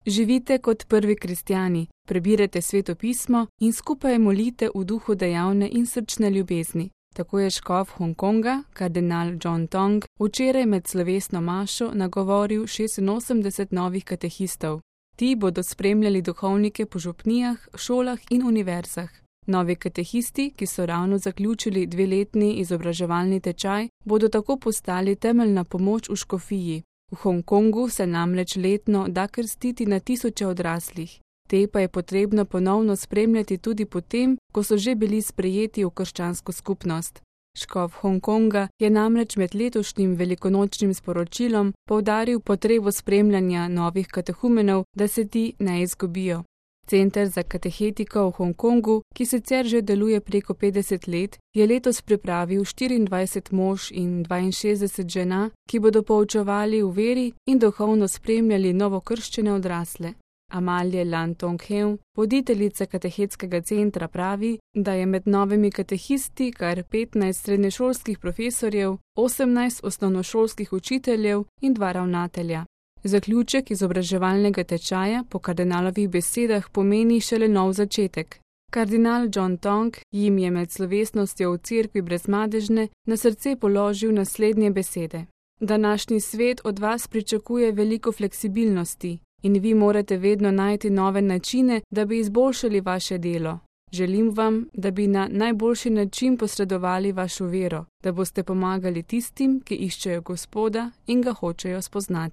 Živite kot prvi kristjani, prebirajte Sveto pismo in skupaj molite v duhu dejavne in srčne ljubezni. Tako je škof Hongkonga, kardinal John Tong, včeraj med slovesno mašo nagovoril 86 novih katehistov. Ti bodo spremljali duhovnike po župnijah, šolah in univerzah. Novi katehisti, ki so ravno zaključili 2-letni izobraževalni tečaj, bodo tako postali temeljna pomoč v škofiji. V Hongkongu se namreč letno da krstiti na tisoče odraslih. Te pa je potrebno ponovno spremljati tudi potem, ko so že bili sprejeti v krščansko skupnost. Škof Hongkonga je namreč med letošnjim velikonočnim sporočilom poudaril potrebo spremljanja novih katehumenov, da se ti ne izgubijo. Center za katehetiko v Hongkongu, ki sicer že deluje preko 50 let, je letos pripravil 24 mož in 62 žena, ki bodo poučevali v veri in duhovno spremljali novokrščene odrasle. Amalie Lan Tonghew, voditeljica katehetskega centra, pravi, da je med novimi katehisti kar 15 srednješolskih profesorjev, 18 osnovnošolskih učiteljev in 2 ravnatelja. Zaključek izobraževalnega tečaja po kardinalovih besedah pomeni šele nov začetek. Kardinal John Tong jim je med slovesnostjo v cerkvi Brezmadežne na srce položil naslednje besede. Današnji svet od vas pričakuje veliko fleksibilnosti in vi morate vedno najti nove načine, da bi izboljšali vaše delo. Želim vam, da bi na najboljši način posredovali vašo vero, da boste pomagali tistim, ki iščejo Gospoda in ga hočejo spoznati.